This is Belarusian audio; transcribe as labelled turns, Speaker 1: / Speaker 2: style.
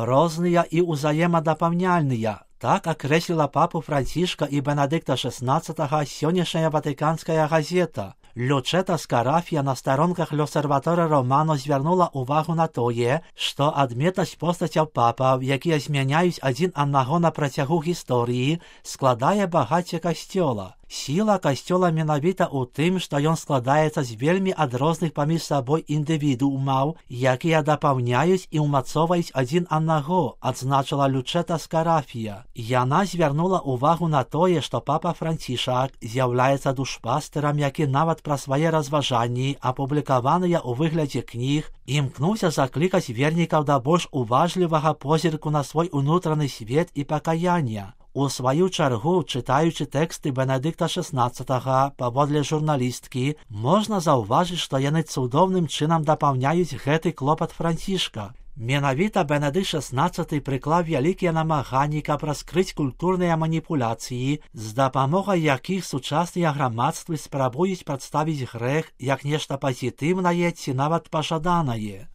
Speaker 1: розныя і ўзаемадапаўняльныя. Так акрэсліла папу Францішка і Бенедыкта XVI сённяшняя ватыканская газета. Лючэта Скарафія на старонках L'Osservatore Romano звярнула ўвагу на тое, што адметнасць постацяў папаў, якія змяняюць адзін аднаго на працягу гісторыі, складае багацце касцёла. Сіла касцёла менавіта ў тым, што ён складаецца з вельмі адрозных паміж сабой індывідуумаў, якія дапаўняюць і ўмацоўваюць адзін аднаго, адзначыла Лючэта Скарафія. Яна звярнула ўвагу на тое, што папа Францішак з'яўляецца душпастырам, які нават пра свае разважанні, апублікаваныя ў выглядзе кніг, імкнуўся заклікаць вернікаў да больш уважлівага позірку на свой унутраны свет і пакаяння. У сваю чаргу, чытаючы тэксты Бенедыкта XVI, паводле журналісткі, можна заўважыць, што яны цудоўным чынам дапаўняюць гэты клопат Францішка. Менавіта Бенедыкт XVI прыклаў вялікія намаганні, каб раскрыць культурныя маніпуляцыі, з дапамогай якіх сучасныя грамадствы спрабуюць прадставіць грэх як нешта пазітыўнае ці нават пажаданае.